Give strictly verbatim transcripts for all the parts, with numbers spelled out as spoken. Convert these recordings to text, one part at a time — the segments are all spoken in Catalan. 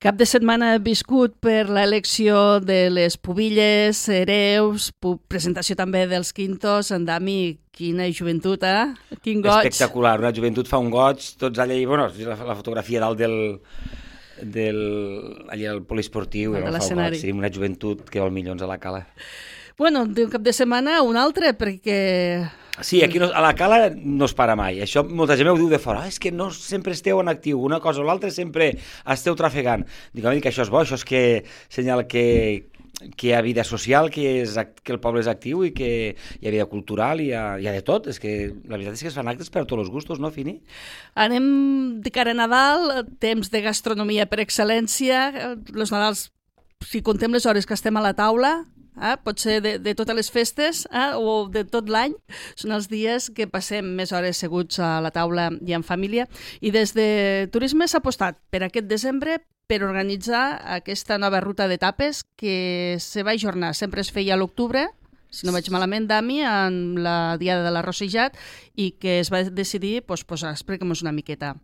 Cap de setmana viscut per l'elecció de les pubilles, hereus, pu- presentació també dels quintos. En Dami, quina joventut, eh? Quin goig. Espectacular, una joventut fa un goig, tots allà, i bueno, la, la fotografia dalt del, del, allà al poliesportiu, de no, fa un l'escenari. goig, sí, una joventut que vol milions a la cala. Bueno, d'un cap de setmana un altre, perquè... Sí, aquí no, a la cala no es para mai. Això molta gent ho diu de fora. Ah, és que no sempre esteu en actiu. Una cosa o l'altra sempre esteu trafegant. Dic, home, que això és bo, això és que senyala que, que hi ha vida social, que, és, que el poble és actiu i que hi ha vida cultural, i hi ha, hi ha de tot. És que la veritat és que es fan actes per a tots els gustos, no, Fini? Anem de cara a Nadal, temps de gastronomia per excel·lència. Els Nadals, si contem les hores que estem a la taula... Eh? Pot ser de, de totes les festes eh? o de tot l'any, són els dies que passem més hores seguts a la taula i en família, i des de Turisme s'ha apostat per aquest desembre per organitzar aquesta nova ruta d'etapes que se va ajornar, sempre es feia a l'octubre, si no vaig malament, Dami, en la diada de l'arrossejat, i que es va decidir posposar. Expliquem-nos una miqueta.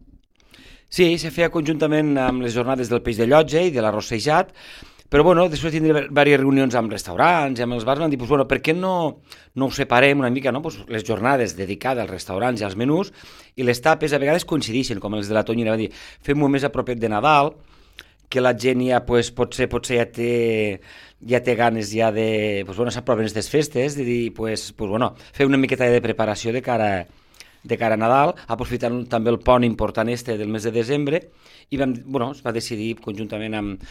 Sí, se feia conjuntament amb les jornades del peix de llotja i de l'arrossejat. Però, bueno, després de tindre diverses reunions amb restaurants i amb els bars, van dir, pues, bueno, per què no, no ho separem una mica, no? Pues, les jornades dedicades als restaurants i als menús, i les tapes a vegades coincideixen, com els de la Tonyina, van dir, fem-ho més a propet de Nadal, que la gent ja, pues, potser, potser ja té, ja té ganes ja de, pues, bueno, s'aproven aquestes festes, de dir, pues, pues, bueno, fer una miqueta de preparació de cara a de cara a Nadal, aprofitant també el pont important este del mes de desembre, i vam, bueno, es va decidir conjuntament amb,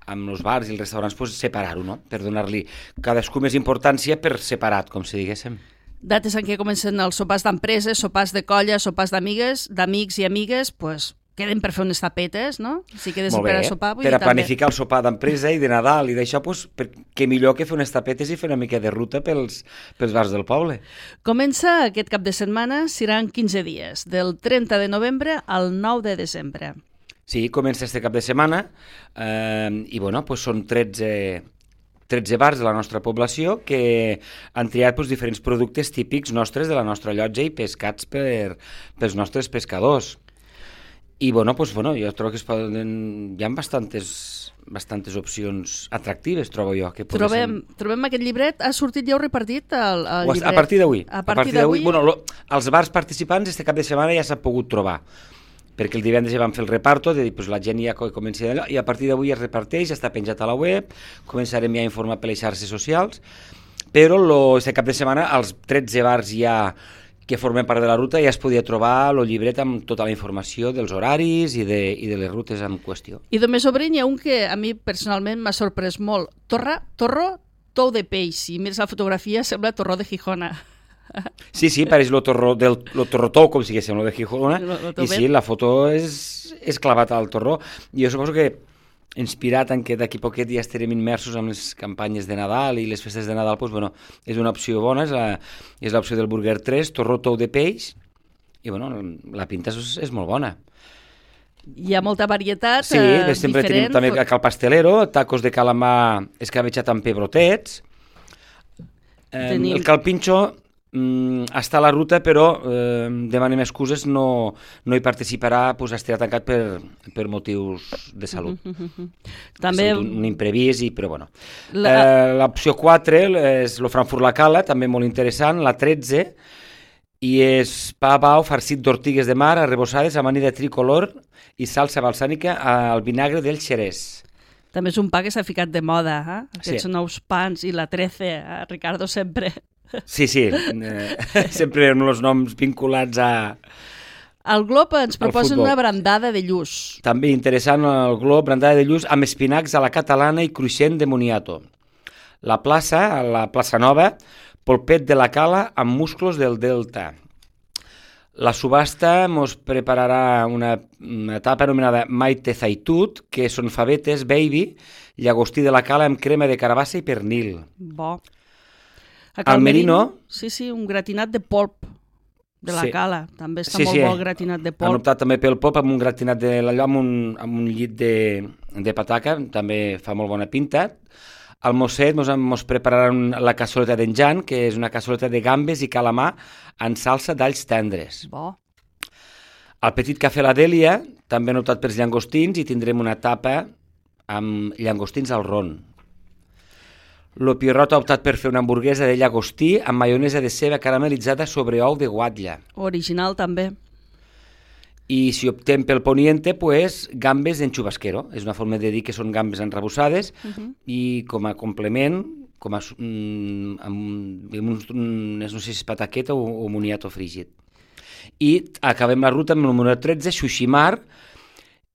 amb els bars i els restaurants pues, separar-ho, no? Per donar-li cadascú més importància per separat, com si diguéssim. Dates en què comencen els sopars d'empreses, sopars de colla, sopars d'amigues, d'amics i amigues, pues, queden per fer unes tapetes, no? Si quedes Molt bé, per a sopar... Vull per a dir, planificar també el sopar d'empresa i de Nadal i d'això, pues, per, que millor que fer unes tapetes i fer una mica de ruta pels, pels bars del poble. Comença aquest cap de setmana, seran quinze dies, del trenta de novembre al nou de desembre. Sí, comença este cap de setmana eh, i bueno, pues són tretze, tretze bars de la nostra població que han triat pues, diferents productes típics nostres de la nostra llotja i pescats per, pels nostres pescadors. I bueno, pues, bueno, jo trobo que es poden... hi ha bastantes, bastantes opcions atractives, trobo jo. Que trobem, ser... trobem aquest llibret, ha sortit ja heu repartit el, el llibret? A partir d'avui. A partir d'avui? Bueno, lo, els bars participants este cap de setmana ja s'ha pogut trobar, perquè el divendres ja vam fer el reparto, de dir, pues, la gent ja comença d'allò, i a partir d'avui es reparteix, ja està penjat a la web, començarem ja a informar per les xarxes socials, però lo, este cap de setmana els tretze bars ja que formen part de la ruta ja es podia trobar el llibret amb tota la informació dels horaris i de, i de les rutes en qüestió. I de més obrin hi ha un que a mi personalment m'ha sorprès molt. Torra, torro, tou de peix. Si mires la fotografia sembla torró de Gijona. Sí, sí, pareix lo torró, del, lo torró tou, com si diguéssim, lo de Gijona, lo, lo i sí, la foto és, és clavat al torró. Jo suposo que inspirat en que d'aquí poquet ja estarem immersos en les campanyes de Nadal i les festes de Nadal, doncs, bueno, és una opció bona, és, la, és l'opció del Burger tres, torró tou de peix, i bueno, la pinta és, és molt bona. Hi ha molta varietat sí, eh, de sempre diferent. Tenim també cal pastelero, tacos de calamar escabetxat amb pebrotets, eh, Tenim... el calpinxo Mm, està a la ruta, però eh, demanem excuses, no, no hi participarà, pues, estarà tancat per, per motius de salut. Uh -huh. També... Un, un imprevist, i, però bueno. La... Eh, l'opció quatre és el Frankfurt la Cala, també molt interessant, la tretze, i és pa bau farcit d'ortigues de mar arrebossades amb amanida tricolor i salsa balsànica al vinagre del xerès. També és un pa que s'ha ficat de moda, eh? Aquests sí. nous pans i la trece, eh? Ricardo sempre... Sí, sí, eh, sempre amb els noms vinculats a... El Glob ens proposa una brandada de lluç. També interessant el Glob, brandada de lluç amb espinacs a la catalana i cruixent de moniato. La plaça, a la plaça Nova, polpet de la Cala amb musclos del Delta. La subhasta ens prepararà una, una etapa anomenada Maite Zaitut, que són favetes, baby, llagostí de la Cala amb crema de carabassa i pernil. Bo. Al Merino... Sí, sí, un gratinat de polp de la sí. Cala. També està sí, molt sí. bo el gratinat de polp. Han optat també pel polp amb un gratinat de l'allò, amb, un, amb un llit de, de pataca, també fa molt bona pinta. Al Mosset mos, mos prepararan la cassoleta d'enjan, que és una cassoleta de gambes i calamar en salsa d'alls tendres. Bo. Al Petit Cafè La Dèlia també han optat pels llangostins i tindrem una tapa amb llangostins al ron. L'Opirot ha optat per fer una hamburguesa de llagostí amb maionesa de ceba caramelitzada sobre ou de guatlla. Original també. I si optem pel poniente, pues, gambes en chubasquero. És una forma de dir que són gambes enrebuçades uh -huh. i com a complement, com a, mm, amb, amb uns, no sé si és pataqueta o, o moniato frígid. I acabem la ruta amb el número tretze, Xuximar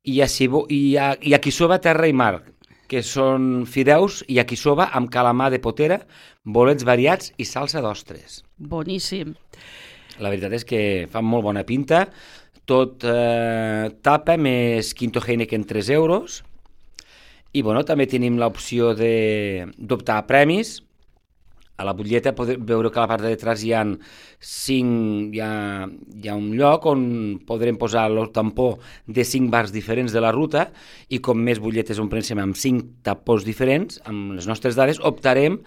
i, i, i yakisoba terra i mar, que són fideus i yakisoba amb calamar de potera, bolets variats i salsa d'ostres. Boníssim. La veritat és que fan molt bona pinta. Tot eh, tapa més Quinto Heineken tres euros. I bueno, també tenim l'opció d'optar a premis. A la butlleta podeu veure que a la part de detrás hi ha, cinc, hi ha, hi ha un lloc on podrem posar el tampó de cinc bars diferents de la ruta i com més butlletes on prensem amb cinc tapons diferents, amb les nostres dades, optarem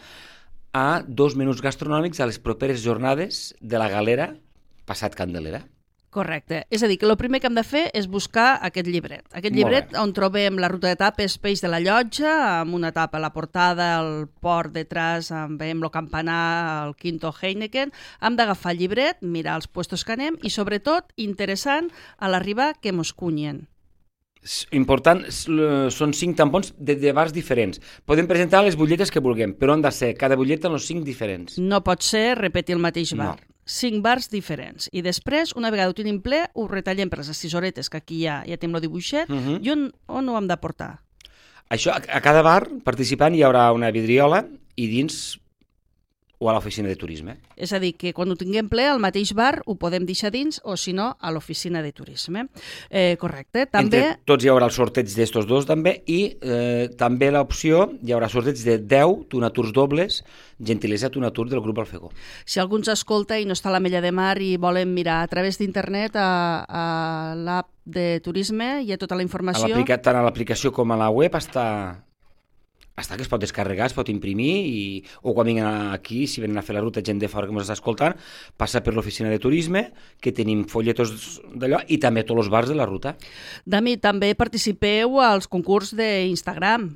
a dos menús gastronòmics a les properes jornades de la Galera passat Candelera. Correcte. És a dir, que el primer que hem de fer és buscar aquest llibret. Aquest llibret on trobem la ruta d'etapes Peix de la Llotja, amb una etapa a la portada, el port detrás, amb veiem el campanar, el Quinto Heineken. Hem d'agafar el llibret, mirar els puestos que anem i, sobretot, interessant, a l'arribar que mos cunyen. Important, són cinc tampons de, de bars diferents. Podem presentar les butlletes que vulguem, però han de ser cada butlleta en els cinc diferents. No pot ser repetir el mateix bar. No. Cinc bars diferents. I després, una vegada ho tenim ple, ho retallem per les estisoretes, que aquí ja, ja tenim el dibuixet, uh -huh. i on, on ho hem de portar? Això, a, a cada bar participant hi haurà una vidriola i dins o a l'oficina de turisme. És a dir, que quan ho tinguem ple, al mateix bar ho podem deixar dins o, si no, a l'oficina de turisme. Eh, correcte. També... Entre tots hi haurà el sorteig d'estos dos també i eh, també l'opció, hi haurà sorteig de deu Tunaturs dobles, gentilesa Tunatur del grup Alfegó. Si algú ens escolta i no està a l'Ametlla de Mar i volen mirar a través d'internet a, a l'app de turisme, hi ha tota la informació. A tant a l'aplicació com a la web està... està que es pot descarregar, es pot imprimir i, o quan vinguin aquí, si venen a fer la ruta gent de fora que ens està escoltant, passa per l'oficina de turisme, que tenim folletos d'allò i també tots els bars de la ruta. Dami, també participeu als concurs d'Instagram,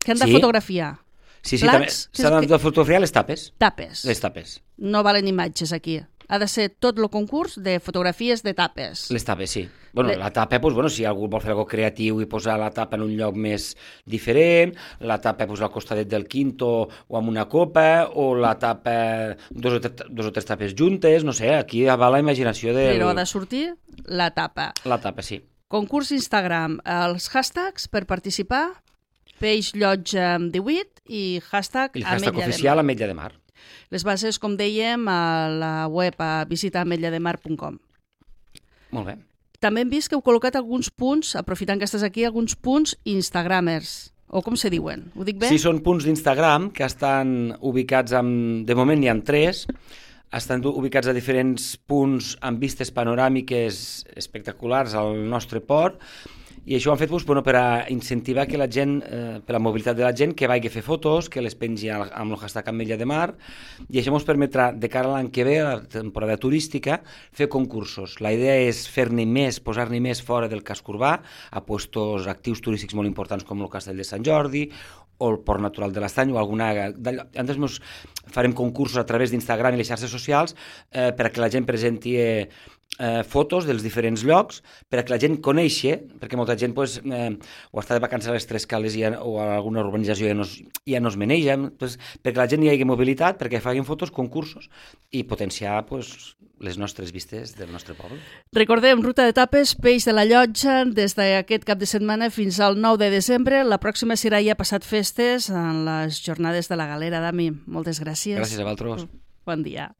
que han de sí? fotografiar. Sí, sí, Plats, també s'han de fotografiar les tapes. Tapes. Les tapes. No valen imatges aquí. Ha de ser tot el concurs de fotografies de tapes. Les tapes, sí. Bueno, Le... la tapa, doncs, bueno, si algú vol fer alguna cosa creatiu i posar la tapa en un lloc més diferent, la tapa doncs, al costadet del Quinto o amb una copa, o la tapa dos o, tres, dos o tres tapes juntes, no sé, aquí va la imaginació de... Però ha de sortir la tapa. La tapa, sí. Concurs Instagram, els hashtags per participar, Peix Llotja divuit i hashtag I el hashtag oficial Ametlla de Mar. Les bases, com dèiem, a la web a visita ametlla de mar punt com. Molt bé. També hem vist que heu col·locat alguns punts, aprofitant que estàs aquí, alguns punts instagramers, o com se diuen? Ho dic bé? Sí, són punts d'Instagram que estan ubicats amb... De moment n'hi ha tres. Estan ubicats a diferents punts amb vistes panoràmiques espectaculars al nostre port. I això ho han fet doncs, bueno, per a incentivar que la gent, eh, per la mobilitat de la gent, que vagi a fer fotos, que les pengi amb el hashtag Ametlla de Mar, i això ens permetrà, de cara a l'any que ve, a la temporada turística, fer concursos. La idea és fer-ne més, posar-ne més fora del casc urbà, a puestos actius turístics molt importants com el Castell de Sant Jordi, o el Port Natural de l'Estany, o alguna... Llavors farem concursos a través d'Instagram i les xarxes socials eh, per a que la gent presenti eh, eh, fotos dels diferents llocs, per a que la gent coneixi, perquè molta gent pues, eh, o està de vacances a les Tres Cales ja, o a alguna urbanització ja no, ja no es maneja, pues, perquè la gent hi hagi mobilitat, perquè facin fotos, concursos i potenciar pues, les nostres vistes del nostre poble. Recordem, ruta d'etapes Peix de la Llotja, des d'aquest cap de setmana fins al nou de desembre. La pròxima serà ja passat festes en les jornades de la Galera. Dami, moltes gràcies. Gràcies a vosaltres. Bon dia.